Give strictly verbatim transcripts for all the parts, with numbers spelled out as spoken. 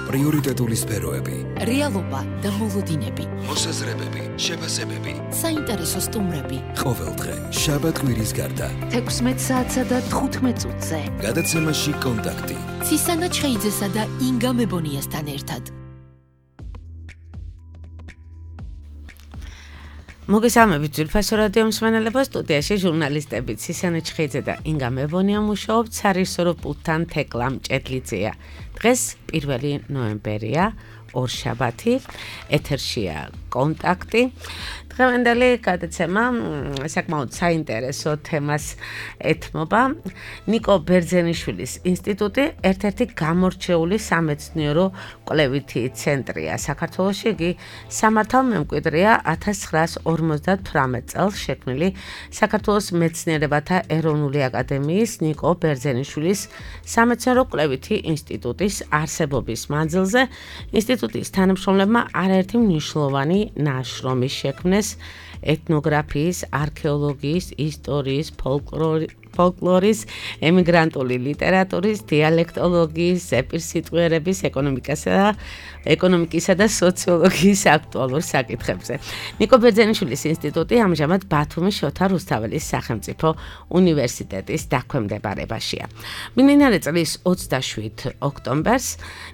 პრიორიტეტული სფეროები, რეალობა და მოლოდინები, მოსაზრებები, შეფასებები, საინტერესო სტუმრები. ყოველდღე შაბათ-კვირის გარდა თექვსმეტ საათსა და თხუთმეტ წუთზე. გადაცემაში კონტაქტი. ცისანა ჩხეიძესა და ინგა მებონიასთან ერთად. მოგესალმებით ძვირფასო რადიო მსმენელებო, სტუდიაში ჟურნალისტები ცისანა ჩხეიძე და ინგა მებონია მუშაობთ სარისორო პულტთან თეკლა მჭედლიძეა. დღეს პირველი ნოემბერია, ორშაბათი, ეთერშია კონტაქტი. დღევანდელი გადაცემა საკმაოდ საინტერესო თემას ეთმობა. ნიკო ბერძენიშვილის ინსტიტუტი ერთ-ერთი გამორჩეული სამეცნიერო კვლევითი ცენტრია საქართველოში. იგი სამართალმემკვიდრეა ათას ცხრაას ორმოცდათვრამეტ წელს შექმნილი საქართველოს მეცნიერებათა ეროვნული აკადემიის ნიკო ბერძენიშვილის სამეცნიერო კვლევითი ინსტიტუტის არსებობის მანძილზე ინსტიტუტის თანამშრომლებმა არაერთი მნიშვნელოვანი ნაშრომი შექმნეს ეთნოგრაფიის, არქეოლოგიის, ისტორიის, ფოლკლორის, ემიგრანტული ლიტერატურის, დიალექტოლოგიის, ზეპირსიტყვიერების, ეკონომიკასა და ეკონომიკისა და სოციოლოგიის აქტუალურ საკითხებზე. ნიკო ბერძენიშვილის ინსტიტუტი ამჟამად ბათუმის შოთა რუსთაველის სახელმწიფო უნივერსიტეტის დაქვემდებარებაშია. მიმდინარე წლის ოცდაშვიდ ოქტომბერს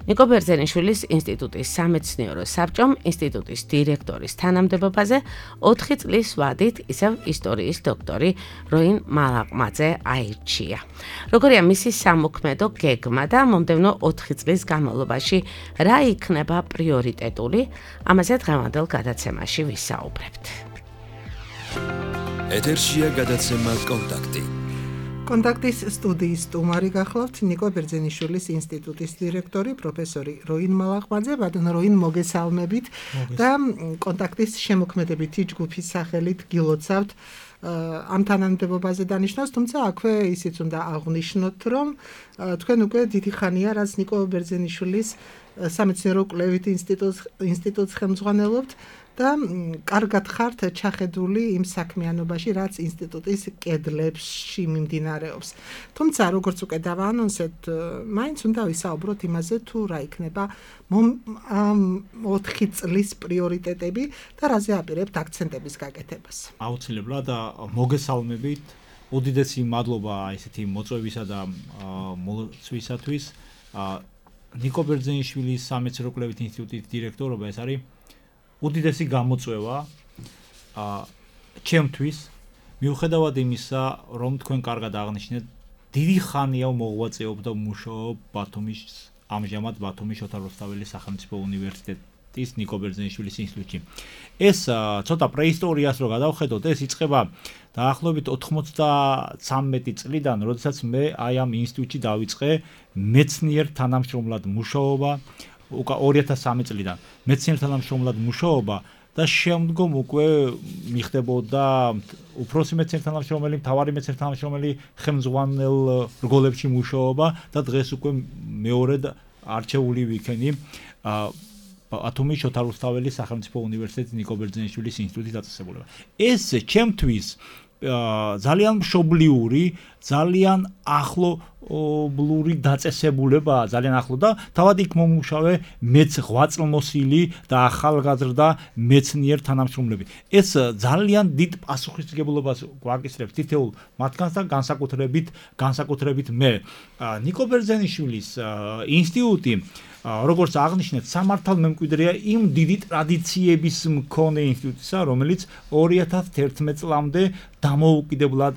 ნიკო ბერძენიშვილის ინსტიტუტის სამეცნიერო საბჭომ ინსტიტუტის დირექტორის თანამდებობაზე ოთხი წლის ვადით ისევ ისტორიის დოქტორი როინ მალაყმაძე აირჩია. როგორია მისი სამოქმედო გეგმა და მომდევნო ოთხი წლის განმავლობაში რა იქნება პრიორიტეტული, ამაზე დღევანდელ გადაცემაში ვისაუბრებთ. ეთერშია გადაცემა კონტაქტი. კონტაქტის სტუდიის სტუმარი გახლავთ ნიკო ბერძენიშვილის ინსტიტუტის დირექტორი პროფესორი როინ მალაყმაძე. ბატონო როინ, მოგესალმებით და კონტაქტის შემოქმედებითი ჯგუფის სახელით გილოცავთ ამ თანამდებობაზე დანიშნავს, თუმცა აქვე ისიც უნდა აღვნიშნოთ, რომ თქვენ უკვე დიდი ხანია რაც ნიკო ბერძენიშვილის სამეცნიერო კვლევით ინსტიტუტს ხელმძღვანელობთ და კარგად ხართ ჩახედული იმ საქმიანობაში, რაც ინსტიტუტის კედლებში მიმდინარეობს. თუმცა, როგორც უკვე დავაანონსეთ, მაინც უნდა ვისაუბროთ იმაზე, თუ რა იქნება ამ ოთხი წლის პრიორიტეტები და რაზე აპირებთ აქცენტების გაკეთებას. აუცილებლად მოგესალმებით. უდიდესი მადლობა ესეთი მოწვევისა და მოლოცვისათვის. ნიკო ბერძენიშვილის სამეცნიერო კვლევით ინსტიტუტის დირექტორობა ეს არის უდიდესი გამოწვევა ჩემთვის, მიუხედავად იმისა, რომ თქვენ კარგად აღნიშნეთ, დიდი ხანია მოღვაწეობ და მუშაობ ბათუმის ამჟამად ბათუმის შოთა რუსთაველის სახელმწიფო უნივერსიტეტის ნიკო ბერძენიშვილის ინსტიტუტში. ეს ცოტა პრეისტორიას რო გადავხედოთ, ეს იწყება დაახლოებით ოთხმოცდათრამეტი წლიდან, როდესაც მე აი ამ ინსტიტუტში დავიწყე მეცნიერ თანამშრომლად მუშაობა. უკა ორი ათას სამი წლიდან მეცნიერ თანამშრომლად მუშაობა და შემდგომ უკვე მიხდებოდა უფროსი მეცნიერ თანამშრომელი, მთავარი მეცნიერ თანამშრომელი ხელმძღვანელ რგოლებში მუშაობა და დღეს უკვე მეორედ არჩეული ვიქენი ბათუმის შოთა რუსთაველის სახელმწიფო უნივერსიტეტის ნიკო ბერძენიშვილის ინსტიტუტის დაწესებულება. ეს ჩემთვის ძალიან მშობლიური, ძალიან ახლობლური დაწესებულება, ძალიან ახლო და თავად იქ მომუშავე მეც ღვაწლმოსილი და ახალგაზრდა მეცნიერ თანამშრომლები. ეს ძალიან დიდ პასუხისმგებლობას გვაკისრებს თითოეულ მათგანს და განსაკუთრებით განსაკუთრებით მე. ნიკო ბერძენიშვილის ინსტიტუტი, როგორც აღნიშნეთ, სამართალმემკვიდრეა იმ დიდი ტრადიციების მქონე ინსტიტუტისა, რომელიც ორი ათას ერთმეტ წლამდე დამოუკიდებლად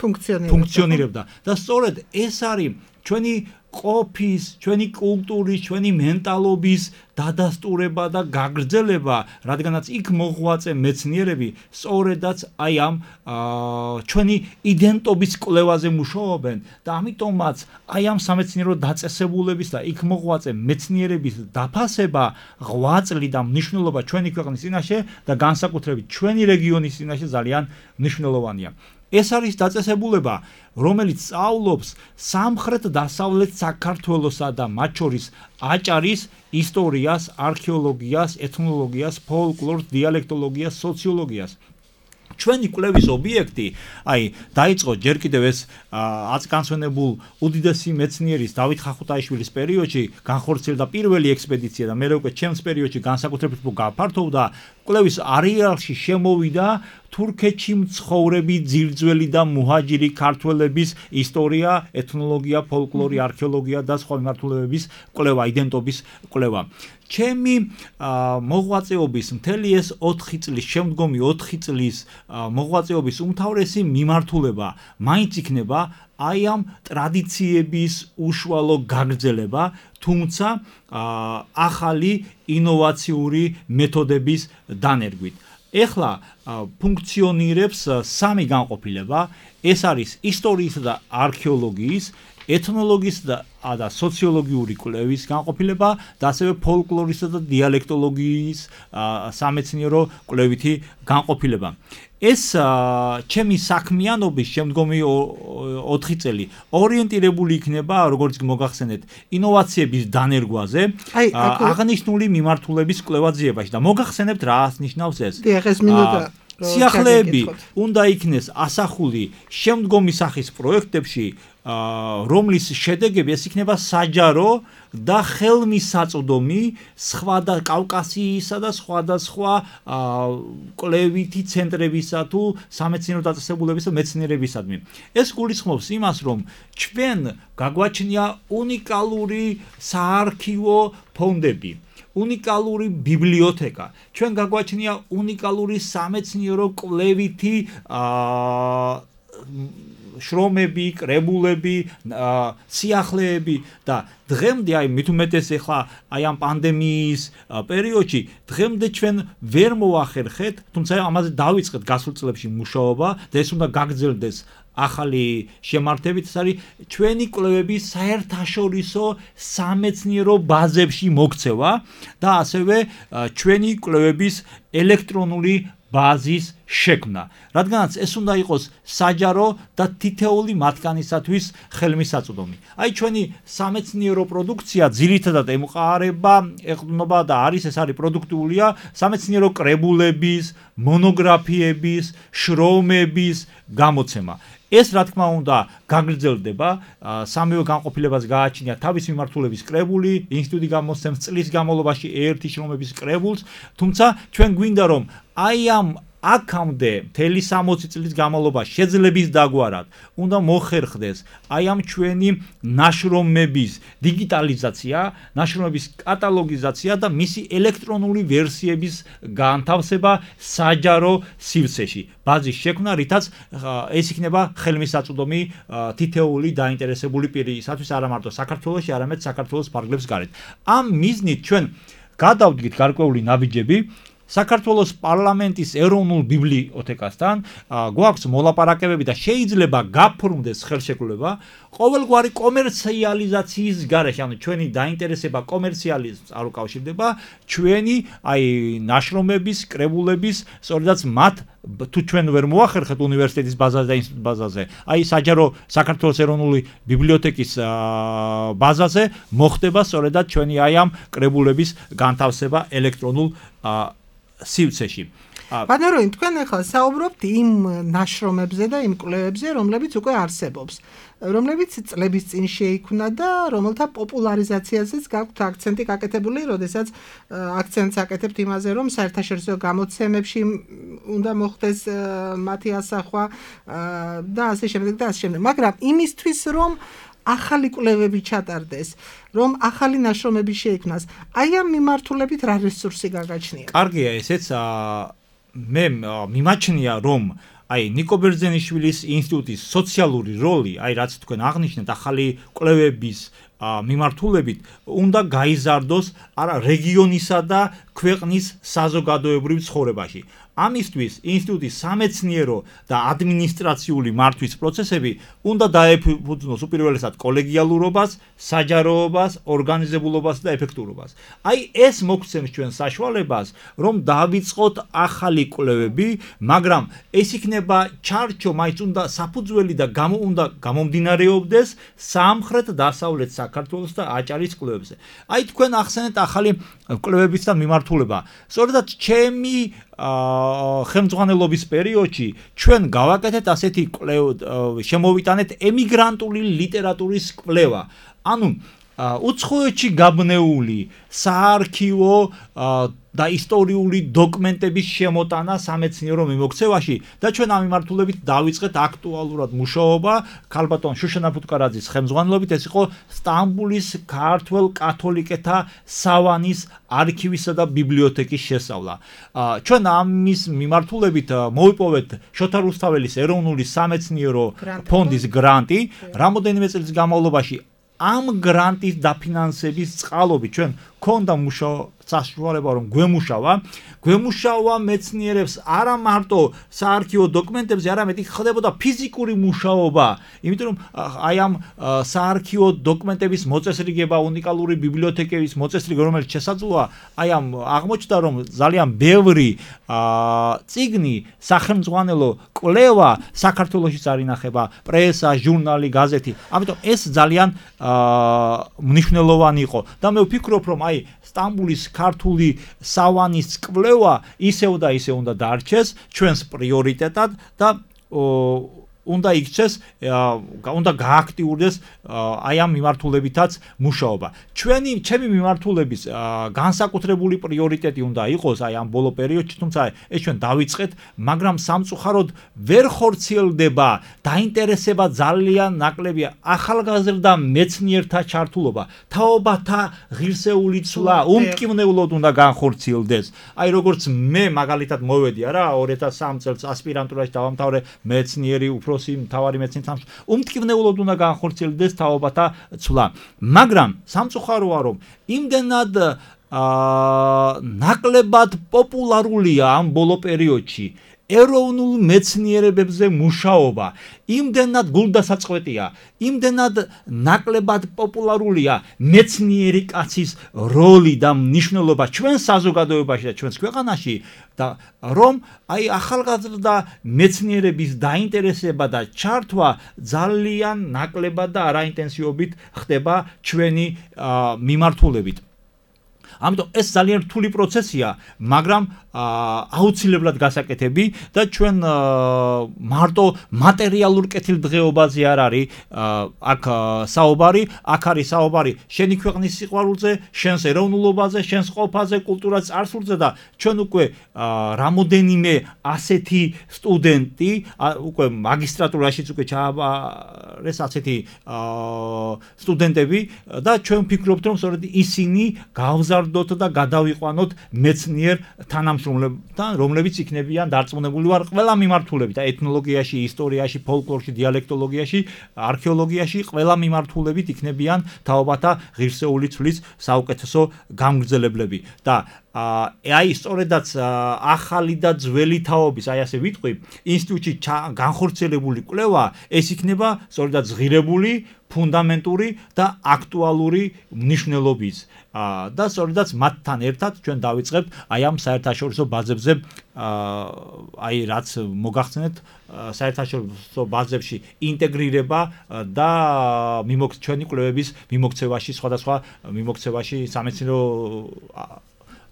ფუნქციონირებდა. და სწორედ ეს არის ჩვენი ყოფის, ჩვენი კულტურის, ჩვენი მენტალობის დადასტურება და გაგრძელება, რადგანაც იქ მოღვაწე მეცნიერები სწორედაც აი ამ ჩვენი იდენტობის კვლევაზე მუშაობენ და ამიტომაც აი ამ სამეცნიერო დაწესებულების და იქ მოღვაწე მეცნიერების დაფასება, ღვაწლი და მნიშვნელობა ჩვენი ქვეყნის წინაშე და განსაკუთრებით ჩვენი რეგიონის წინაშე ძალიან მნიშვნელოვანია. ეს არის დაწესებულება, რომელიც სწავლობს სამხრეთ-დასავლეთ საქართველოსა და მათ შორის აჭარის ისტორიას, არქეოლოგიას, ეთნოლოგიას, ფოლკლორს, დიალექტოლოგიას, სოციოლოგიას. ჩვენი კვლევის ობიექტი, აი, დაიწყო ჯერ კიდევ ეს აწკანცვენებულ უდიდესი მეცნიერის დავით ხახუტაიშვილის პერიოდში განხორციელდა პირველი ექსპედიცია და მე უკვე ჩემს პერიოდში განსაკუთრებით გაფართოვდა კვლევის არეალში შემოვიდა თურქეთში მცხოვრები ძირძველი და მუჰაჯირი ქართველების ისტორია, ეთნოლოგია, ფოლკლორი, არქეოლოგია და სხვა მიმართულებების კვლევა, იდენტობის კვლევა. ჩემი მოღვაწეობის მთელი ეს ოთხი წლის, შემდგომი ოთხი წლის მოღვაწეობის უმთავრესი მიმართულება მაინც იქნება აი ამ ტრადიციების უშუალო გაგრძელება, თუმცა ახალი ინოვაციური მეთოდების დანერგვით. ეხლა ფუნქციონირებს სამი განყოფილება, ეს არის ისტორიისა და არქეოლოგიის, ეთნოლოგიის და და სოციოლოგიური კვლევის განყოფილება და ასევე ფოლკლორისა და დიალექტოლოგიის სამეცნიერო კვლევითი განყოფილება. ეს ჩემი საქმიანობის შემდგომი ოთხი წელი ორიენტირებული იქნება, როგორც მოგახსენეთ, ინოვაციების დანერგვაზე, აღნიშნული მიმართულების კვლევაძიებაში და მოგახსენებთ რას ნიშნავს ეს? სიახლეები უნდა იქნეს ასახული შემდგომი სახის პროექტებში, რომლის შედეგები ეს იქნება საჯარო და ხელმისაწვდომი სხვა და კავკასიისა და სხვადასხვა კვლევითი ცენტრებისა თუ სამეცნიერო დაწესებულებისა მეცნიერებისადმი. ეს გულისხმობს იმას, რომ ჩვენ გაგვაჩნია უნიკალური საარქივო ფონდები, უნიკალური ბიბლიოთეკა, ჩვენ გაგვაჩნია უნიკალური სამეცნიერო კვლევითი შრომები, კრებულები, სიახლეები და დღემდე აი მით უმეტეს ახლა აი ამ პანდემიის პერიოდში დღემდე ჩვენ ვერ მოახერხეთ, თუმცა ამაზე დავიწყეთ გასულ წლებში მუშაობა და ეს უნდა გაგრძელდეს ახალი შემართებით, ეს არის ჩვენი კვლევების საერთაშორისო სამეცნიერო ბაზებში მოქცევა და ასევე ჩვენი კვლევების ელექტრონული ბაზის შექმნა, რადგანაც ეს უნდა იყოს საჯარო და თითეული მათგანისათვის ხელმისაწვდომი. აი ჩვენი სამეცნიერო პროდუქცია ძირითადად ემყარება, ეყრდნობა და არის ეს არის პროდუქტულია სამეცნიერო კრებულების, მონოგრაფიების, შრომების გამოცემა. ეს რა თქმა უნდა გაგრძელდება, სამივე განყოფილებას გააჩნია თავის მიმართულების კრებული, ინსტიტუტი გამოსცემს წლის განმავლობაში ერთი შრომების კრებულს, თუმცა ჩვენ გვინდა რომ აი ამ აქამდე მთელი სამოცი წლის განმავლობაში შეძლების დაგვარად უნდა მოხერხდეს აი ამ ჩვენი ნაშრომების დიგიტალიზაცია, ნაშრომების კატალოგიზაცია და მისი ელექტრონული ვერსიების განთავსება საჯარო სივრცეში. ბაზის შექმნა, რითაც ეს იქნება ხელმისაწვდომი თითეული დაინტერესებული პირისათვის არა მარტო საქართველოში, არამედ საქართველოს ფარგლებს გარეთ. ამ მიზნით ჩვენ გადავდგით გარკვეული ნაბიჯები საქართველოს პარლამენტის ეროვნულ ბიბლიოთეკასთან, გვაქვს მოლაპარაკებები და შეიძლება გაფორმდეს ხელშეკრულება ყოველგვარი კომერციალიზაციის გარეშე, ანუ ჩვენი დაინტერესება კომერციალიზმს არ უკავშირდება, ჩვენი აი ნაშრომების, კრებულების, სწორედაც მათ თუ ჩვენ ვერ მოახერხეთ უნივერსიტეტის ბაზაზე და ინსტიტუტის ბაზაზე, აი საჯარო საქართველოს ეროვნული ბიბლიოთეკის ბაზაზე მოხდება სწორედად ჩვენი აი ამ კრებულების განთავსება ელექტრონულ სივრცეში. ბატონო, თქვენ ახლა საუბრობთ იმ ნაშრომებზე და იმ კვლევებზე, რომლებიც უკვე არსებობს, რომლებიც წლების წინ შეიქმნა და რომელთა პოპულარიზაციაზეც გაქვთ აქცენტი გაკეთებული, როდესაც აქცენტს აკეთებთ იმაზე, რომ საერთაშორისო გამოცემებში უნდა მოხდეს მათი ასახვა და ასე შემდეგ და ასე შემდეგ. მაგრამ იმისთვის, რომ ახალი კვლევები ჩატარდეს, რომ ახალი ნაშრომები შეიქმნას, აი ამ მიმართულებით რა რესურსი გაგაჩნია? კარგია, ესეც მე მიმაჩნია, რომ აი ნიკო ბერძენიშვილის ინსტიტუტის სოციალური როლი, აი რაც თქვენ აღნიშნეთ, ახალი კვლევების მიმართულებით უნდა გაიზარდოს არა რეგიონისა და ქვეყნის საზოგადოებრივ ცხოვრებაში. ამისთვის ინსტიტუტის სამეცნიერო და ადმინისტრაციული მართვის პროცესები უნდა დაეფუძნოს უპირველესად კოლეგიალურობას, საჯაროობას, ორგანიზებულობას და ეფექტურობას. აი ეს მოგცემს ჩვენ საშუალებას, რომ დავიწყოთ ახალი კვლევები, მაგრამ ეს იქნება ჩარჩო, მაინც უნდა საფუძველი და გამო უნდა გამომდინარეობდეს სამხრეთ-დასავლეთ საქართველოს და აჭარის კვლევებზე. აი თქვენ ახსენეთ ახალი კვლევებისთან მიმართულება. სწორედად ჩემი ხელმძღვანელობის პერიოდში ჩვენ გავაკეთეთ ასეთი შემოვიტანეთ ემიგრანტული ლიტერატურის კვლევა. ანუ უცხოეთში გაბნეული საარქივო და ისტორიული დოკუმენტების შემოტანა სამეცნიერო მიმოქცევაში და ჩვენ ამ მიმართულებით დავიწყეთ აქტუალურად მუშაობა ქალბატონ შუშანა ფუტკარაძის ხელმძღვანელობით. ეს იყო სტამბულის ქართველ კათოლიკეთა სავანის არქივისა და ბიბლიოთეკის შესწავლა. ჩვენ ამის მიმართულებით მოვიპოვეთ შოთა რუსთაველის ეროვნული სამეცნიერო ფონდის გრანტი. რამოდენიმე წლის განმავლობაში ამ გრანტის დაფინანსების წყალობით ჩვენ ქონდა მუშაობა საშუალება რომ გვემუშავა გვემუშავა მეცნიერებს არა მარტო საარქივო დოკუმენტებზე, არამედ იქ ხდებოდა ფიზიკური მუშაობა, იმიტომ რომ აი ამ საარქივო დოკუმენტების მოწესრიგება, უნიკალური ბიბლიოთეკების მოწესრიგება, რომელიც შესაძლოა, აი ამ აღმოჩნდა რომ ძალიან ბევრი წიგნი, სახელმძღვანელო კვლევა საქართველოში არ ინახება, პრესა, ჟურნალი, გაზეთი. ამიტომ ეს ძალიან მნიშვნელოვანი იყო და მე ვფიქრობ რომ აი სტამბულის ქართული სავანის კვლევა ისევ და ისევ უნდა დარჩეს ჩვენს პრიორიტეტად და უნდა იქცეს, უნდა გააქტიურდეს აი ამ მიმართულებითაც მუშაობა. ჩვენი ჩემი მიმართულების განსაკუთრებული პრიორიტეტი უნდა იყოს აი ამ ბოლო პერიოდში, თუმცა ეს ჩვენ დავიწყეთ, მაგრამ სამწუხაროდ ვერ ხორციელდება დაინტერესება ძალიან ნაკლებია ახალგაზრდა მეცნიერთა ჩართულობა. თაობათა ღირსეული ცვლა უმკვნევლოდ უნდა განხორციელდეს. აი როგორც მე მაგალითად მოვედი არა ორი ათას სამი წელს ასპირანტურაში დავამთავრე მეცნიერი უფრო მთავარი მეცნიერთა უმტკივნეულოდ უნდა განხორციელდეს თაობათა ცვლა. მაგრამ სამწუხაროა რომ იმდენად ნაკლებად პოპულარულია ამ ბოლო პერიოდში ეროვნულ მეცნიერებებზე მუშაობა, იმდენად გულდასაწყვეტია, იმდენად ნაკლებად პოპულარულია მეცნიერი კაცის როლი და მნიშვნელობა ჩვენ საზოგადოებაში და ჩვენს ქვეყანაში და რომ აი ახალგაზრდა მეცნიერების დაინტერესება და ჩართვა ძალიან ნაკლებად და არაინტენსივობით ხდება ჩვენი მიმართულებით. ამიტომ ეს ძალიან რთული პროცესია, მაგრამ აუცილებლად გასაკეთები და ჩვენ მარტო მატერიალურ კეთილდღეობაზე არ არის აქ საუბარი, აქ არის საუბარი შენი ქვეყნის სიყვარულზე, შენს ეროვნულობაზე, შენს ყოფაზე, კულტურას წარსულზე და ჩვენ უკვე რამოდენიმე ასეთი სტუდენტი უკვე მაგისტრატურაშიც უკვე ჩააბარეს ასეთი სტუდენტები და ჩვენ ვფიქრობთ რომ სწორედ ისინი გავზარდოთ და გადავიყვანოთ მეცნიერ თანამშრომლებთან, რომლებიც იქნებიან დარწმუნებული ვარ ყველა მიმართულებით, ეთნოლოგიაში, ისტორიაში, ფოლკლორში, დიალექტოლოგიაში, არქეოლოგიაში, ყველა მიმართულებით იქნებიან თაობათა ღირსეული ცვლის საუკეთესო გამგრძელებლები და აი სწორედაც ახალი და ძველი თაობის, აი ასე ვიტყვი, ინსტიტუტში განხორციელებული კვლევა ეს იქნება სწორედაც ღირებული, ფუნდამენტური და აქტუალური მნიშვნელობის და სწორედაც მათთან ერთად ჩვენ დავიწყებთ აი ამ საერთაშორისო ბაზებზე აი რაც მოგახსენეთ საერთაშორისო ბაზებში ინტეგრირება და ჩვენი კვლევების მიმოქცევაში, სხვადასხვა მიმოქცევაში სამეცნიერო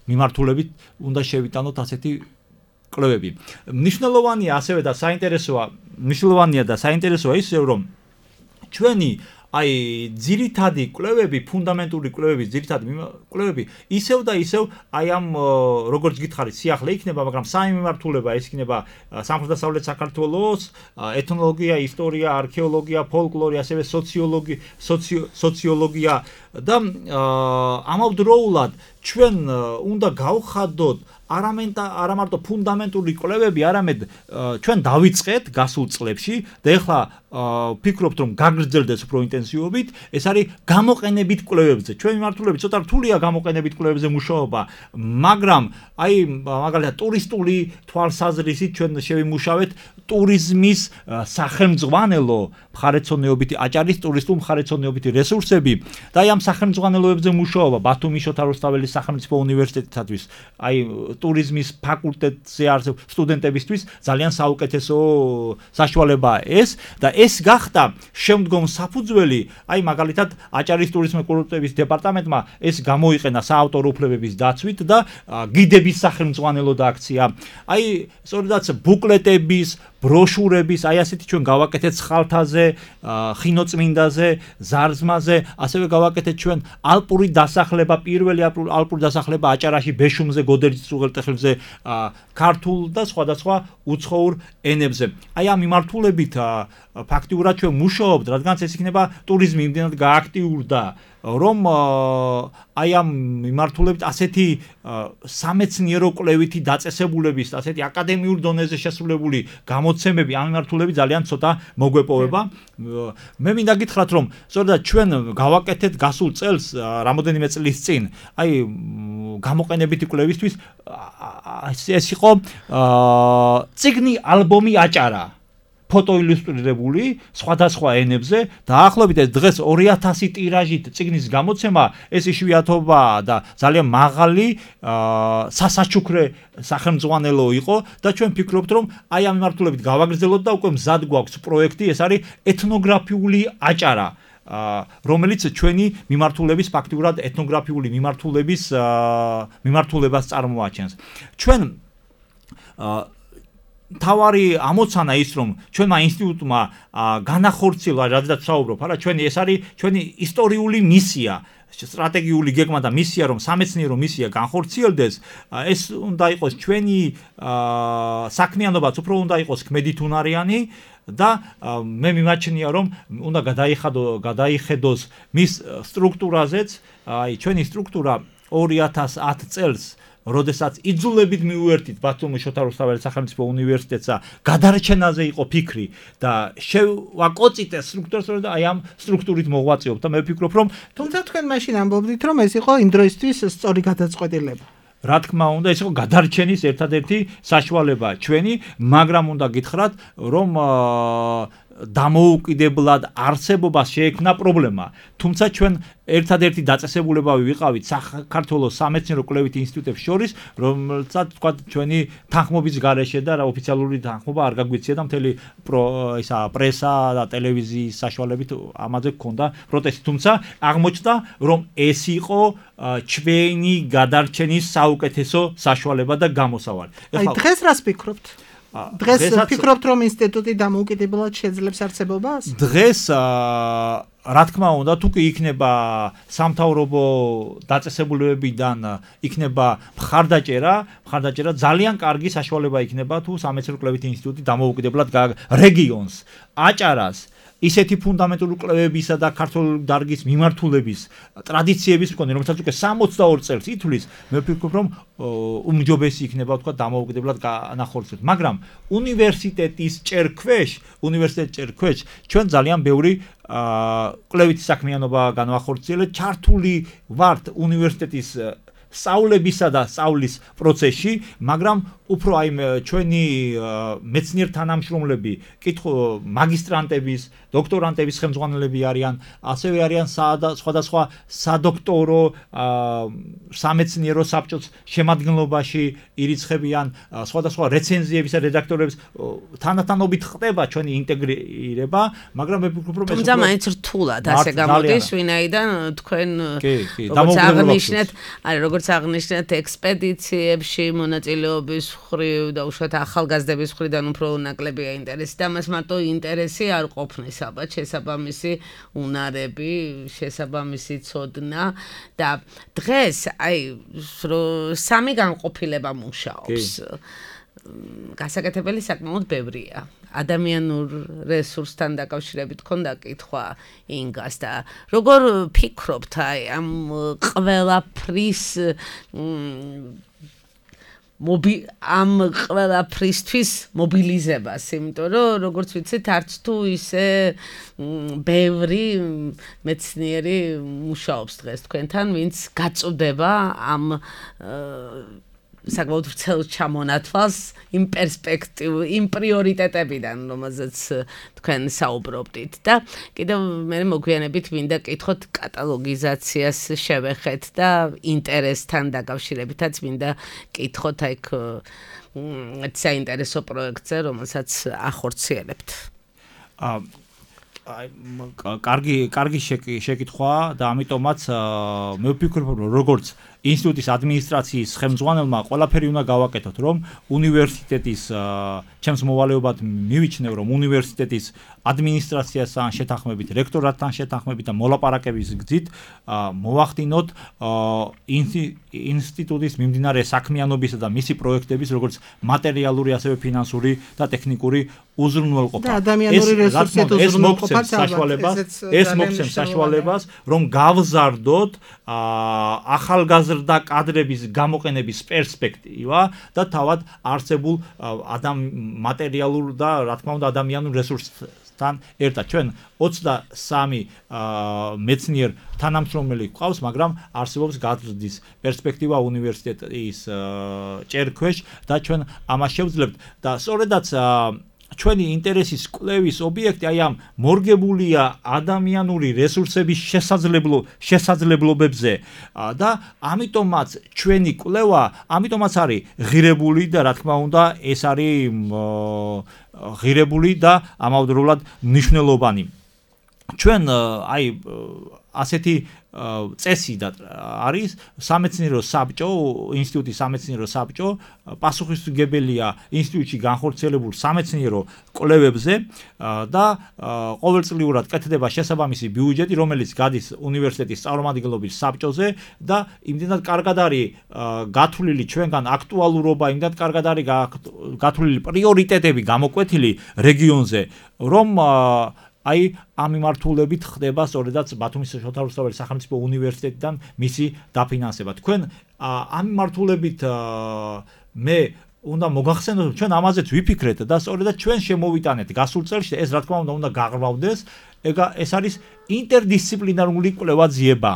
მიმართულებით უნდა შევიტანოთ ასეთი კვლევები. მნიშვნელოვანია ასევე და საინტერესოა, მნიშვნელოვანია და საინტერესოა ისე რომ ჩვენი აი ძირითადი კვლევები, ფუნდამენტური კვლევების ძირითადი კვლევები ისევ და ისევ აი ამ როგორც გითხარით სიახლე იქნება, მაგრამ სამი მიმართულება ეს იქნება სამხრეთ-დასავლეთ საქართველოს, ეთნოლოგია, ისტორია, არქეოლოგია, ფოლკლორი, ასევე სოციოლოგია, სოციოლოგია და ამავდროულად ჩვენ უნდა გავხადოთ არა მარტო ფუნდამენტური კვლევები, არამედ ჩვენ დავიწყეთ გასულ წლებში და ეხლა ვფიქრობთ რომ გაგრძელდეს უფრო ინტენსივობით, ეს არის გამოყენებით კვლევებზე. ჩვენი მიმართულებით ცოტა რთულია გამოყენებით კვლევებზე მუშაობა, მაგრამ აი მაგალითად ტურისტული თვალსაზრისით ჩვენ შევიმუშავეთ ტურიზმის სახელმძღვანელო მხარეთმცოდნეობითი აჭარის ტურისტულ მხარეთმცოდნეობითი რესურსები და აი ამ სახელმძღვანელოებზე მუშაობა ბათუმის შოთა რუსთაველის სახელმწიფო უნივერსიტეტისათვის, აი ტურიზმის ფაკულტეტზე არსებულ სტუდენტებისთვის ძალიან საუკეთესო საშუალებაა ეს და ეს გახდა შემდგომ საფუძველი, აი მაგალითად აჭარის ტურიზმის კურორტების დეპარტამენტმა ეს გამოიყენა საავტორო უფლებების დაცვით და გიდების სახელმძღვანელო აქცია. აი სწორედაც ბუკლეტების ბროშურების, აი ასეთი ჩვენ გავაკეთეთ ხალთაზე, ხინოწმინდაზე, ზარზმაზე, ასევე გავაკეთეთ ჩვენ ალპური დასახლება, პირველი ალპური დასახლება აჭარაში, ბეშუმზე, გოდერძის უღელტეხილზე, ქართულ და სხვადასხვა უცხოურ ენებზე. აი ამ მიმართულებით ფაქტიურად ჩვენ მუშაობთ, რადგანაც ეს იქნება ტურიზმი იმდენად გააქტიურდა, რომ აი ამ მიმართულებით ასეთი სამეცნიერო კვლევითი დაწესებულების, ასეთი აკადემიურ დონეზე შესრულებული გამოცემები ამ მიმართულებით ძალიან ცოტა მოგვეპოვება. მე მინდა გითხრათ, რომ სწორედ ჩვენ გავაკეთეთ გასულ წელს, რამოდენიმე წლის წინ, აი გამოყენებითი კვლევისთვის ეს იყო წიგნი ალბომი აჭარა. ფოტოილუსტრირებული სხვადასხვა ენებზე დაახლოებით ეს დღეს ორი ათასი ტირაჟით წიგნის გამოცემა ეს იშვიათობაა და ძალიან მაღალი სასაჩუქრე სახელმძღვანელო იყო და ჩვენ ფიქრობთ რომ აი ამ მიმართულებით გავაგრძელოთ და უკვე მზად გვაქვს პროექტი, ეს არის ეთნოგრაფიული აჭარა, რომელიც ჩვენი მიმართულების ფაქტიურად ეთნოგრაფიული მიმართულების მიმართულებას წარმოაჩენს. ჩვენ თავარი ამოცანა ის რომ ჩვენმა ინსტიტუტმა განახორციელა, რადგან საუბრობ, არა ჩვენი ეს არის ჩვენი ისტორიული მისია, სტრატეგიული გეგმა და მისია რომ სამეცნიერო მისია განხორციელდეს, ეს უნდა იყოს ჩვენი საქმიანობაც უფრო უნდა იყოს ქმედითუნარიანი და მე მიმაჩნია რომ უნდა გადაიხადო გადაიხედოს მის სტრუქტურაზეც, აი ჩვენი სტრუქტურა ორი ათას ათ წელს როდესაც იძულებით მივუერთით ბათუმის შოთა რუსთაველის სახელმწიფო უნივერსიტეტსა, გადარჩენაზე იყო ფიქრი და შევაკოწიტე სტრუქტურას და აი ამ სტრუქტურით მოღვაწეობ და მე ვფიქრობ რომ თუმცა თქვენ მაშინ ამბობდით რომ ეს იყო იმ დროისთვის სწორი გადაწყვეტილება. რა თქმა უნდა, ეს იყო გადარჩენის ერთადერთი საშუალება ჩვენი, მაგრამ უნდა გითხრათ რომ დამოუკიდებლად არსებობას შეექმნა პრობლემა. თუმცა ჩვენ ერთადერთი დაწესებულებები ვიყავით საქართველოს სამეცნიერო კვლევითი ინსტიტუტებს შორის, რომელსაც თქვა ჩვენი თანხმობის გარეშე და რა ოფიციალური თანხმობა არ გაგვიცია და მთელი ისა პრესა და ტელევიზიის საშუალებით ამაზე გქონდა პროტესტი. თუმცა აღმოჩნდა რომ ეს იყო ჩვენი გადარჩენის საუკეთესო საშუალება და გამოსავალი. აი დღეს რას ფიქრობთ? დღეს ფიქრობთ რომ ინსტიტუტი დამოუკიდებლად შეძლებს არსებობას? დღეს რა თქმა უნდა, თუ კი იქნება სამთავრობო დაწესებულებებიდან იქნება მხარდაჭერა, მხარდაჭერა ძალიან კარგი საშუალება იქნება თუ სამეცნიერო კვლევითი ინსტიტუტი დამოუკიდებლად რეგიონს, აჭარას ისეთი ფუნდამენტური კვლევებისა და ქართული დარგის მიმართულების ტრადიციების მქონე, რომელსაც უკვე სამოცდაორ წელს ითვლის, მე ვფიქრობ, რომ უმჯობესი იქნება თქვა დამოუკიდებლად განახორციელოს. მაგრამ უნივერსიტეტის ჭერქვეშ, უნივერსიტეტის ჭერქვეშ ჩვენ ძალიან ბევრი კვლევითი საქმიანობა განვახორციელეთ, ჩართული ვართ უნივერსიტეტის სწავლებისა და სწავლის პროცესში, მაგრამ უფრო აი ჩვენი მეცნიერ თანამშრომლები, კითხო მაგისტრანტების, დოქტორანტების ხელმძღვანელები არიან, ასევე არიან სხვადასხვა სადოქტორო სამეცნიერო საბჭოს შემადგენლობაში ირიცხებიან, სხვადასხვა რეცენზიებისა რედაქტორებს თანათანობით ხდება ჩვენი ინტეგრირება, მაგრამ მე ვფიქრობ რომ ეს თუმცა მაინც რთულად ასე გამოდის, ვინაიდან თქვენ როგორც აღნიშნეთ, არის როგორც აღნიშნეთ ექსპედიციებში მონაწილეობის ხრივ და უშუალოდ ახალგაზრდების ხრიდან უფრო ნაკლებია ინტერესი და მას მარტო ინტერესი არ ყოფნის, ალბათ შესაბამისი უნარები, შესაბამისი ცოდნა და დღეს აი სამი განყოფილება მუშაობს. გასაკეთებელი საკმაოდ ბევრია. ადამიანურ რესურსთან დაკავშირებით ქონდა კითხვა ინგას და როგორ ფიქრობთ აი ამ ყველაფრის მობი ამ ყველაფრისთვის მობილიზებას, იმიტომ რომ როგორც ვიცით, არც თუ ისე ბევრი მეცნიერი მუშაობს დღეს თქვენთან, ვინც გაწუდება ამ საკმაოდ ვრცელ ჩამონათვალს იმ პერსპექტივ, იმ პრიორიტეტებიდან, რომელზეც თქვენ საუბრობდით და კიდევ მე მოგვიანებით მინდა კითხოთ კატალოგიზაციას შევეხეთ და ინტერესთან დაკავშირებითაც მინდა კითხოთ აიქ საინტერესო პროექტზე, რომელსაც ახორციელებთ. აა აი კარგი კარგი შეკითხვაა და ამიტომაც მე ვფიქრობ რომ როგორც ინსტიტუტის ადმინისტრაციის ხელმძღვანელმა ყველაფერი უნდა გავაკეთოთ რომ უნივერსიტეტის ჩემს მოვალეობად მივიჩნევ რომ უნივერსიტეტის ადმინისტრაციასთან შეთანხმებით, რექტორატთან შეთანხმებით და მოლაპარაკების გზით მოვახდინოთ ინსტიტუტის მიმდინარე საქმიანობისა და მისი პროექტების როგორც მატერიალური ასევე ფინანსური და ტექნიკური უზრუნველყოფა. და ადამიანური რესურსებით უზრუნველყოფა საშუალებას, ეს მოგცემს საშუალებას რომ გავზარდოთ ახალგაზრდა კადრების გამოყენების პერსპექტივა და თავად არსებულ ადამ მატერიალურ და რა თქმა უნდა ადამიანურ რესურსთან ერთად. ჩვენ ოცდასამი მეცნიერ თანამშრომელი გვყავს, მაგრამ არსებობს გაზრდის პერსპექტივა უნივერსიტეტის ჭერქვეშ და ჩვენ ამას შევძლებთ და სწორედაც ჩვენი ინტერესის კვლევის ობიექტი აი ამ მორგებულია ადამიანური რესურსების შესაძლებლო შესაძლებლობებზე და ამიტომაც ჩვენი კვლევა ამიტომაც არის ღირებული და რა თქმა უნდა ეს არის ღირებული და ამავდროულად მნიშვნელოვანი. ჩვენ აი ასეთი წესი და არის სამეცნიერო საბჭო, ინსტიტუტის სამეცნიერო საბჭო, პასუხისმგებელია ინსტიტუტში განხორციელებულ სამეცნიერო კვლევებზე და ყოველწლიურად კეთდება შესაბამისი ბიუჯეტი, რომელიც გადის უნივერსიტეტის წარმომადგენლობის საბჭოზე და იმდენად კარგად არის გათვლილი ჩვენგან აქტუალურობა, იმდენად კარგად არის გათვლილი პრიორიტეტები გამოკვეთილი რეგიონზე, რომ აი ამ მიმართულებით ხდება სწორედაც ბათუმის შოთა რუსთაველის სახელმწიფო უნივერსიტეტიდან მისი დაფინანსება. თქვენ ამ მიმართულებით მე უნდა მოგახსენოთ, ჩვენ ამაზეც ვიფიქრეთ და სწორედაც ჩვენ შემოვიტანეთ გასულ წელს ეს რა თქმა უნდა უნდა გაღვავდეს, ეს არის ინტერდისციპლინარული კვლევა-ძიება.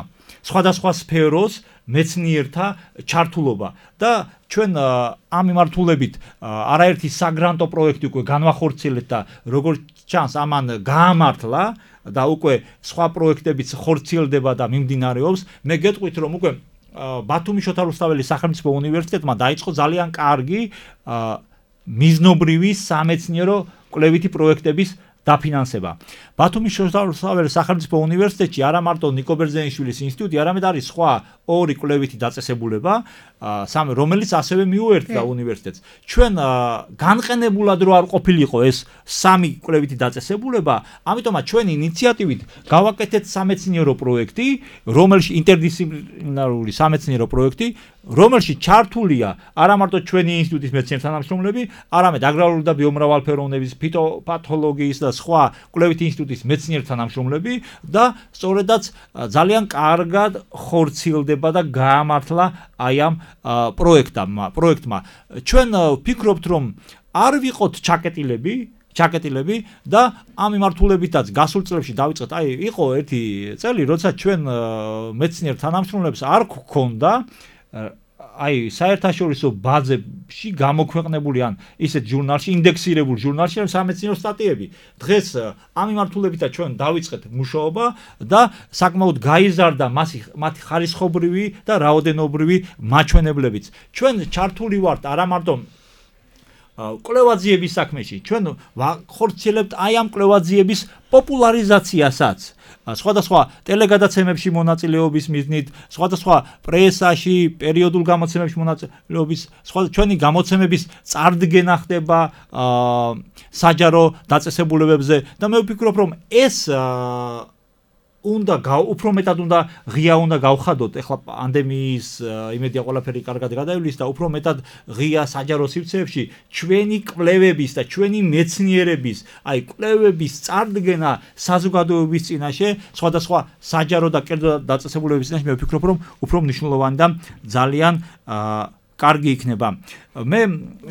სხვადასხვა სფეროს მეცნიერთა ჩართულობა და ჩვენ ამ მიმართულებით არაერთი საგრანტო პროექტი უკვე განვახორციელებთ და როგორც ჩანს ამან გაამართლა და უკვე სხვა პროექტებიც ხორციელდება და მიმდინარეობს. მე გეტყვით რომ უკვე ბათუმის შოთა რუსთაველის სახელმწიფო უნივერსიტეტმა დაიწყო ძალიან კარგი მიზნობრივი სამეცნიერო კვლევითი პროექტების დაფინანსება. ბათუმის შოთა რუსთაველის სახელმწიფო უნივერსიტეტში არა მარტო ნიკო ბერძენიშვილის ინსტიტუტი, არამედ არის სხვა ორი კვლევითი დაწესებულება, სამი რომელიც ასევე მიუერთდა უნივერსიტეტს. ჩვენ განყენებულად რო არ ყოფილიყო ეს სამი კვლევითი დაწესებულება, ამიტომაც ჩვენი ინიციატივით გავაკეთეთ სამეცნიერო პროექტი, რომელში ინტერდისციპლინარული სამეცნიერო პროექტი, რომელში ჩართულია არა მარტო ჩვენი ინსტიტუტის მეცნიერ თანამშრომლები, არამედ აგრარული და ბიომრავალფეროვნების, ფიტოპათოლოგიის და სხვა კვლევითი ინსტიტუტის მეცნიერ თანამშრომლები და სწორედაც ძალიან კარგად ხორციელდება და გაამართლა აი ამ პროექტმა, პროექტმა. ჩვენ ვფიქრობთ, რომ არ ვიყოთ ჩაკეტილები, ჩაკეტილები და ამ მიმართულებითაც გასულ წლებში დავიწყეთ. აი, იყო ერთი წელი, როცა ჩვენ მეცნიერ თანამშრომლებს არ გქონდა აი საერთაშორისო ბაზებში გამოქვეყნებული ან ისეთ ჟურნალში, ინდექსირებულ ჟურნალში სამეცნიერო სტატიები. დღეს ამ მიმართულებითაც ჩვენ დავიწყეთ მუშაობა და საკმაოდ გაიზარდა მათი ხარისხობრივი და რაოდენობრივი მაჩვენებლებიც. ჩვენ ჩართული ვართ არა მარტო კვლევაძიების საქმეში, ჩვენ ხორციელებთ აი ამ კვლევაძიების პოპულარიზაციასაც. სხვადასხვა ტელეგადაცემებში მონაწილეობის მიზნით, სხვადასხვა პრესაში, პერიოდულ გამოცემებში მონაწილეობის, სხვა ჩვენი გამოცემების წარდგენა ხდება საჯარო დაწესებულებებზე და მე ვფიქრობ, რომ ეს უნდა უფრო მეტად უნდა ღია უნდა გავხადოთ. ეხლა პანდემიის იმედია ყველაფერი კარგად გადაივლის და უფრო მეტად ღია საჯარო სივრცეებში ჩვენი კვლევების და ჩვენი მეცნიერების, აი კვლევების წარდგენა საზოგადოების წინაშე, სხვადასხვა საჯარო და კერძო დაწესებულებების წინაშე მე ვფიქრობ, რომ უფრო მნიშვნელოვანი და ძალიან კარგი იქნება. მე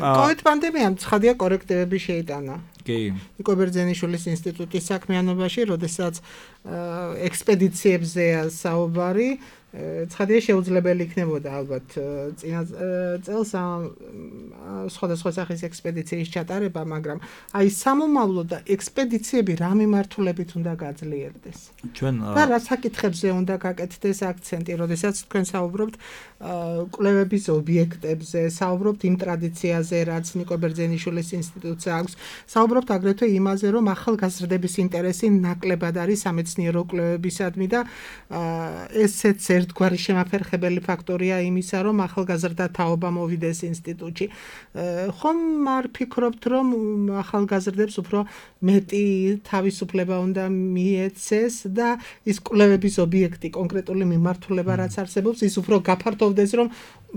COVID პანდემიამ ცხადია კორექტივები შეიტანა. კი. ნიკო ბერძენიშვილის ინსტიტუტის საქმიანობაში, როდესაც ექსპედიციებზეა საუბარი, ცხადია შეუძლებელი იქნებოდა ალბათ წინა წელს სხვადასხვა სახის ექსპედიციის ჩატარება, მაგრამ აი სამომავლო და ექსპედიციები რა მიმართულებით უნდა გაძლიერდეს. ჩვენ და რა საკითხებზე უნდა გაკეთდეს აქცენტი, როდესაც თქვენ საუბრობთ კვლევების ობიექტებზე, საუბრობთ იმ ტრადიციაზე, რაც ნიკო ბერძენიშვილის ინსტიტუტს აქვს, საუბრობთ აგრეთვე იმაზე, რომ ახალგაზრდების ინტერესი ნაკლებად არის სამეცნიერო კვლევებისადმი და ესეც ერთგვარი შემაფერხებელი ფაქტორია იმისა, რომ ახალგაზრდა თაობა მოვიდეს ინსტიტუტში. ხომ არ ფიქრობთ, რომ ახალგაზრდებს უფრო მეტი თავისუფლება უნდა მიეცეს და ის კვლევების ობიექტი, კონკრეტული მიმართულება რაც არსებობს, ის უფრო გაფართოვდეს, რომ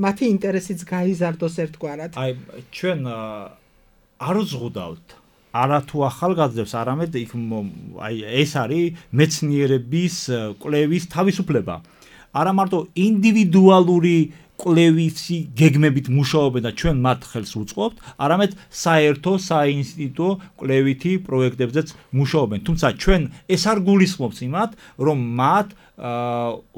მათი ინტერესიც გაიზარდოს ერთგვარად. აი, ჩვენ არ ვზღუდავთ არა თუ ახალგაზრდებს, არამედ იქ აი ეს არის მეცნიერების კვლევის თავისუფლება. არა მარტო ინდივიდუალური კვლევისი გეგმებით მუშაობენ და ჩვენ მათ ხელს უწყობთ, არამედ საერთო საინსტიტუტო კვლევითი პროექტებზეც მუშაობენ. თუმცა ჩვენ ეს არ გულისხმობს იმათ, რომ მათ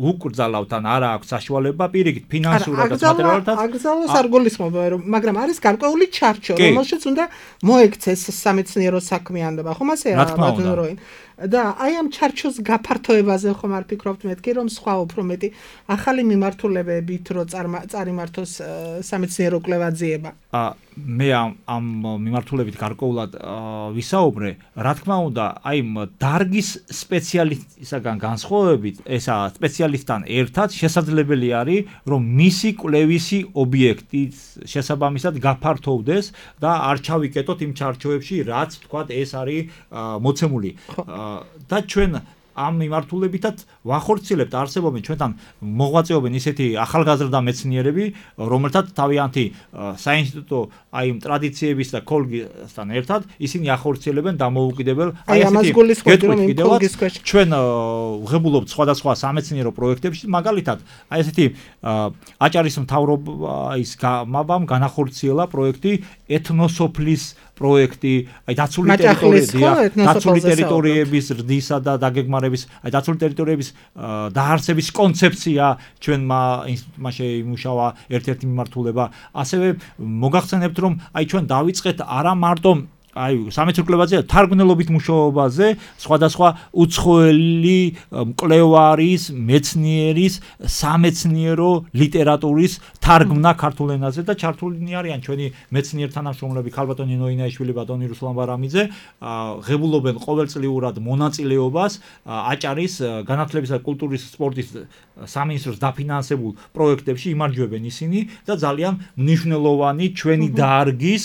უკრძალავთ ან არა აქვს საშუალება პირიქით ფინანსურად და მატერიალურად. აგზავნოს არ გულისხმობ, მაგრამ არის გარკვეული ჩარჩო, რომელშიც უნდა მოექცეს სამეცნიერო საქმიანობა. ხომ ასეა ბატონო როინ? და აი ამ ჩარჩოს გაფართოებაზე ხომ არ ფიქრობთ მეთქი, რომ სხვა უფრო მეტი ახალი მიმართულებებით რო წარიმართოს სამეცნიერო კვლევაძიება? მე ამ ამ მიმართულებით გარკვეულად ვისაუბრე, რა თქმა უნდა, აი დარგის სპეციალისტისგან განსხვავებით, ესა სპეციალისტთან ერთად შესაძლებელი არის, რომ მისი კვლევისი ობიექტის შესაბამისად გაფართოვდეს და არ ჩავიკეტოთ იმ ჩარჩოებში, რაც თქვათ ეს არის მოცემული. და ჩვენ ამ მიმართულებითაც ვახორციელებთ, არსებობენ ჩვენთან მოღვაწეობენ ისეთი ახალგაზრდა მეცნიერები, რომელთაც თავიანთი საინსტიტუტო აი ტრადიციების და ქოლგისთან ერთად ისინი ახორციელებენ დამოუკიდებელ აი ესეთი გეტყვით ჩვენ ვღებულობთ სხვადასხვა სამეცნიერო პროექტებში, მაგალითად აი ესეთი აჭარის მთავრობის გამაბამ განახორციელა პროექტი ეთნოსოფლის პროექტი, აი დაცული ტერიტორიები, დაცული ტერიტორიების ზრდისა და დაგეგმარების, აი დაცული ტერიტორიების დაარსების კონცეფცია ჩვენმა ინსტიტუტმა შეიმუშავა ერთ-ერთი მიმართულება. ასევე მოგახსენებთ, რომ აი ჩვენ დავიწყეთ არა მარტო აი სამეცნიერო კვლევაზე, თარგმნელობით მუშაობაზე, სხვადასხვა უცხოელი მკვლევარის, მეცნიერის, სამეცნიერო ლიტერატურის თარგმნა ქართულ ენაზე და ჩართულნი არიან ჩვენი მეცნიერ თანამშრომლები ქალბატონი ნოინაიშვილი, ბატონი რუსლან ბარამიძე, ღებულობენ ყოველწლიურად მონაწილეობას აჭარის განათლებისა და კულტურის სპორტის სამინისტროს დაფინანსებულ პროექტებში იმარჯვებენ ისინი და ძალიან მნიშვნელოვანი ჩვენი დარგის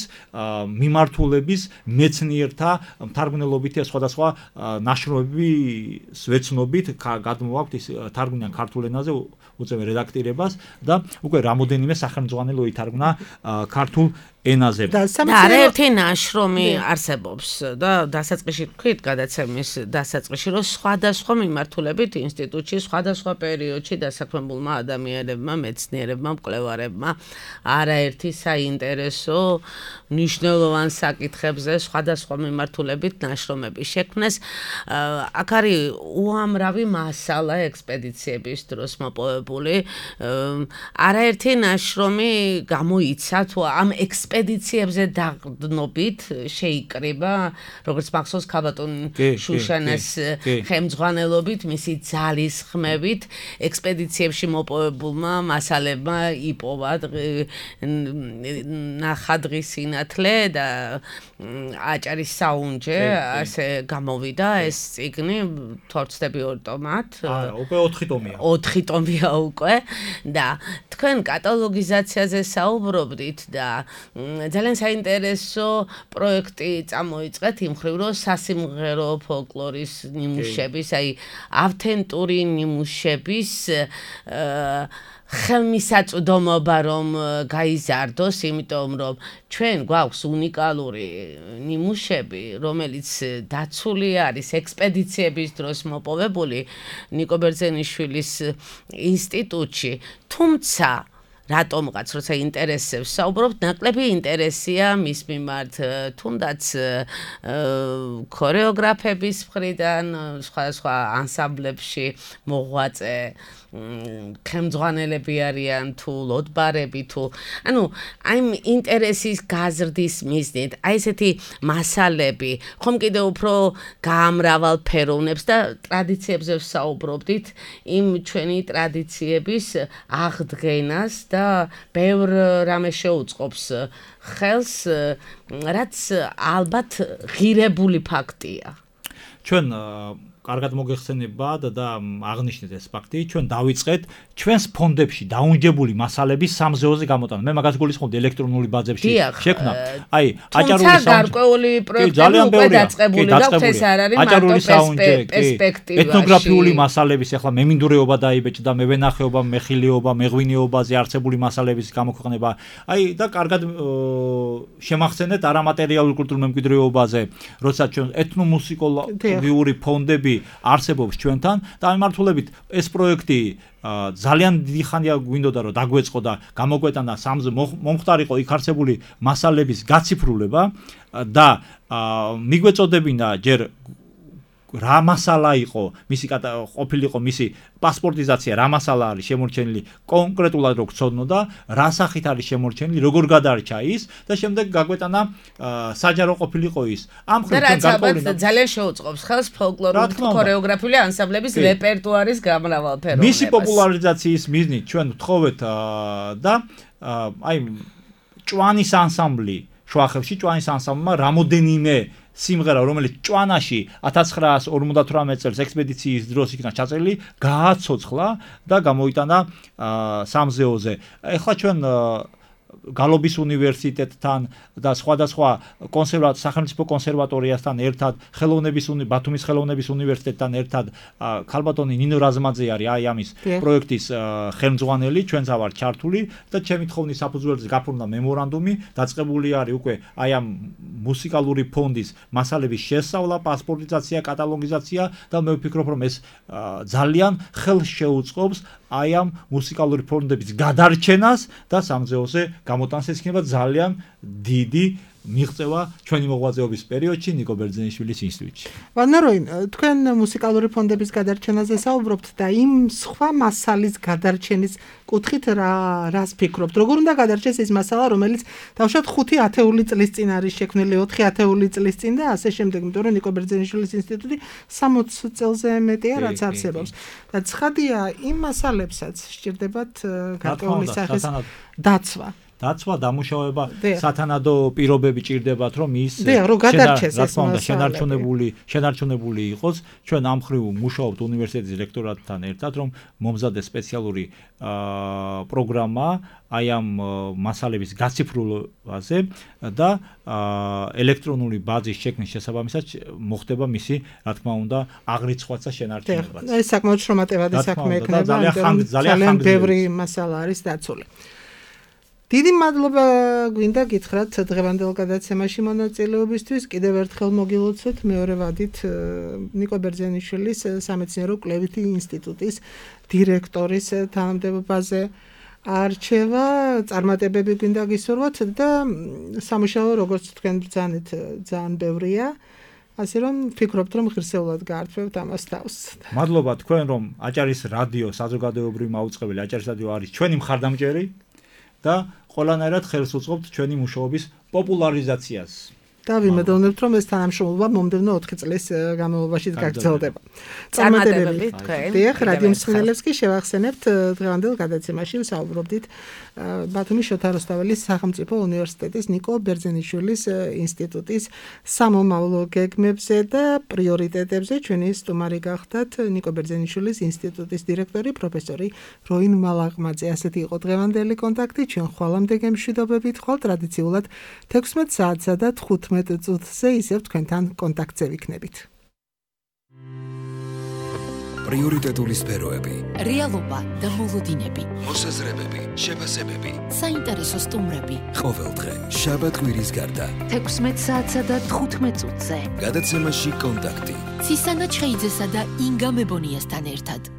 მიმართულების მეცნიერთა თარგმნელობითი სხვადასხვა ნაშრომების ვეცნობით გადმოვაქვთ ის თარგმნიან ქართულ ენაზე უწევენ რედაქტირებას და უკვე რამოდენიმე სახელმძღვანელო ითარგმნა ქართულ ენაზე. და არაერთი ნაშრომი არსებობს და დასაწყისში თქვით გადაცემის დასაწყისში, რომ სხვადასხვა მიმართულებით ინსტიტუტში სხვადასხვა პერიოდში დასაქმებულმა ადამიანებმა, მეცნიერებმა, მკვლევარებმა არაერთი საინტერესო მნიშვნელოვან საკითხებზე სხვადასხვა მიმართულებით ნაშრომები შექმნეს. აქ არის უამრავი მასალა ექსპედიციების დროს მოპოვებული. არაერთი ნაშრომი გამოიცა თუ ამ ექსპედიციებზე დაყრდნობით შეიკრიბა, როგორც მახსოვს ქალბატონ შუშანას ხელმძღვანელობით, მისი ძალისხმევით ექსპედიციებში მოპოვებულმა მასალებმა იპოვა ნახადღის სინათლე და აჭარის საუნჯე, ასე გამოვიდა ეს წიგნი, თორცდები ორ ტომად. უკვე ოთხი ტომია. ოთხი ტომია უკვე და თქვენ კატალოგიზაციაზე საუბრობდით და ძალიან საინტერესო პროექტი წამოიწყეთ იმ ხრივ, რომ სასიმღერო ფოლკლორის ნიმუშების, აი ავთენტური ნიმუშების ხელმისაწვდომობა რომ გაიზარდოს, იმიტომ რომ ჩვენ გვაქვს უნიკალური ნიმუშები, რომელიც დაცული არის ექსპედიციების დროს მოპოვებული ნიკო ბერძენიშვილის ინსტიტუტში, თუმცა რატომღაც როცა ინტერესებს საუბრობთ, ნაკლები ინტერესია მის მიმართ თუნდაც ქორეოგრაფების მხრიდან, სხვადასხვა ანსამბლებში მოღვაწე ხელმძღვანელები არიან თუ ლოდბარები თუ ანუ აი ინტერესის გაზრდის მიზნით აი ესეთი მასალები ხომ კიდე უფრო გაამრავალფეროვნებს და ტრადიციებზე საუბრობდით იმ ჩვენი ტრადიციების აღდგენას და ბევრ რამე შეუწყობს ხელს რაც ალბათ ღირებული ფაქტია ჩვენ კარგად მოგეხსენებათ და აღნიშნეთ ეს ფაქტი, ჩვენ დავიწყეთ ჩვენს ფონდებში დაუნჯებული მასალების სამზეოზე გამოტანა. მე მაგას გულისხმობდი ელექტრონული ბაზებში შექმნა. აი, აჭარული საუნჯე. გარკვეული პროექტები უკვე დაწყებული გაქვთ, ეს არ არის მარტო პერსპექტივა. ეთნოგრაფიული მასალების, ახლა მემინდვრეობა დაიბეჭდა, მევენახეობა, მეხილეობა, მეღვინეობაზე არსებული მასალების გამოქვეყნება. აი და კარგად შემახსენეთ არამატერიალურ კულტურულ მემკვიდრეობაზე, როცა ჩვენ ეთნომუსიკოლოგიური ფონდები არსებობს ჩვენთან და ამართულებით ეს პროექტი ძალიან დიდი ხანია გვინდოდა რომ დაგვეწყო და გამოგვეტანა სამზე მომხდარიყო იქ არსებული მასალების გაციფრულება და მიგვეწოდებინა ჯერ რა მასალა იყო მისი ყოფილიყო მისი პასპორტიზაცია რა მასალა არის შემორჩენილი კონკრეტულად რო გწოდნო და რა სახით არის შემორჩენილი როგორ გადარჩა ის და შემდეგ გაგვეტანა საჯარო ყოფილიყო ის ამ ხრივ განყოლინა ძალიან შეუწყობს ხელს ფოლკლორული ქორეოგრაფიული ანსამბლების რეპერტუარის გამრავალფეროვნებას მისი პოპულარიზაციის მიზნით ჩვენ ვთხოვეთ და აი ჭვანის ანსამბლი შუახევში ჭვანის ანსამბლმა რამოდენიმე სიმღერა რომელიც ჭვანაში ათას ცხრაას ორმოცდათვრამეტ წელს ექსპედიციის დროს იქნა ჩაწერილი გააცოცხლა და გამოიტანა სამზეოზე. ეხლა ჩვენ გალობის უნივერსიტეტთან და სხვადასხვა კონსერვატორ სახელმწიფო კონსერვატორიასთან ერთად ხელოვნების ბათუმის ხელოვნების უნივერსიტეტთან ერთად ქალბატონი ნინო რაზმაძე არის აი ამის პროექტის ხელმძღვანელი ჩვენც ვართ ჩართული და ჩემი თხოვნის საფუძველზე გაფორმდა მემორანდუმი დაწყებული არის უკვე აი ამ მუსიკალური ფონდის მასალების შესწავლა პასპორტიზაცია კატალოგიზაცია და მე ვფიქრობ რომ ეს ძალიან ხელს შეუწყობს აი ამ მუსიკალური ფონდების გადარჩენას და სამზეოზე გამოტანას ეს იქნება ძალიან დიდი მიღწევა ჩვენი მოღვაწეობის პერიოდში ნიკო ბერძენიშვილის ინსტიტუტში. ვანაროინ, თქვენ მუსიკალური ფონდების გადარჩენაზე საუბრობთ და იმ სხვა მასალის გადარჩენის კუთხით რა რას ფიქრობთ? როგორ უნდა გადარჩეს ეს მასალა, რომელიც დავშოთ ხუთი ათეული წლის წინ არის შექმნილი, ოთხი ათეული წლის წინ და ასე შემდეგ, იმიტომ რომ ნიკო ბერძენიშვილის ინსტიტუტი სამოცი წელზე მეტია რაც არსებობს. და ცხადია, იმ მასალებსაც სჭირდებათ გარკვეული სახის დაცვა. დაცვა დამუშავება სათანადო პირობები ჭირდებათ რომ ის შენარჩუნებული შენარჩუნებული იყოს ჩვენ ამ ხრივ მუშაობთ უნივერსიტეტის რექტორატთან ერთად რომ მომზადდეს სპეციალური პროგრამა აი ამ მასალების გაციფრულებაზე და ელექტრონული ბაზის შექმნის შესაბამისად მოხდება მისი რა თქმა უნდა აღრიცხვაც და შენარჩუნებაც ეს საკმაოდ შრომატევადი საქმე იქნება ძალიან ბევრი მასალა არის დაცული დიდი მადლობა გვინდა გითხრათ დღევანდელ გადაცემაში მონაწილეობისთვის. კიდევ ერთხელ მოგილოცოთ მეორე ვადით ნიკო ბერძენიშვილის სამეცნიერო კვლევითი ინსტიტუტის დირექტორის თანამდებობაზე არჩევა. წარმატებები გვინდა გისურვოთ და სამუშაო როგორც თქვენ ბრძანეთ ძალიან ბევრია. ასე რომ ვფიქრობთ რომ ღირსეულად გაართვევთ ამას თავს. მადლობა თქვენ რომ აჭარის რადიო საზოგადოებრივი მაუწყებელი აჭარის რადიო არის ჩვენი მხარდამჭერი და ყველანაირად ხელს უწყობთ ჩვენი მუშაობის პოპულარიზაციას. და ვიმედოვნებთ რომ ეს თანამშრომლობა მომდევნო ოთხი წლის განმავლობაში გაგრძელდება. წარმატებები თქვენ. დიახ, რადიო მსმენელებს კი შევახსენებთ დღევანდელ გადაცემაში ვსაუბრობდით ბათუმის შოთა რუსთაველის სახელმწიფო უნივერსიტეტის ნიკო ბერძენიშვილის ინსტიტუტის სამომავლო გეგმებზე და პრიორიტეტებზე. ჩვენი სტუმარი გახდათ ნიკო ბერძენიშვილის ინსტიტუტის დირექტორი პროფესორი როინ მალაღმაძე. ასეთი იყო დღევანდელი კონტაქტი. ჩვენ ხვალამდე გემშვიდობებით ხვალ ტრადიციულად თექვსმეტ საათსა და თხუთმეტ წუთზე ისევ თქვენთან კონტაქტზე ვიქნებით. პრიორიტეტული სფეროები, რეალობა და მოლოდინები, მოსაზრებები, შეფასებები, საინტერესო სტუმრები. ყოველდღე შაბათ კვირის გარდა თექვსმეტ საათსა და თხუთმეტ წუთზე. გადაცემაში კონტაქტი. ცისანა ჩხეიძესა და ინგა მებონიასთან ერთად.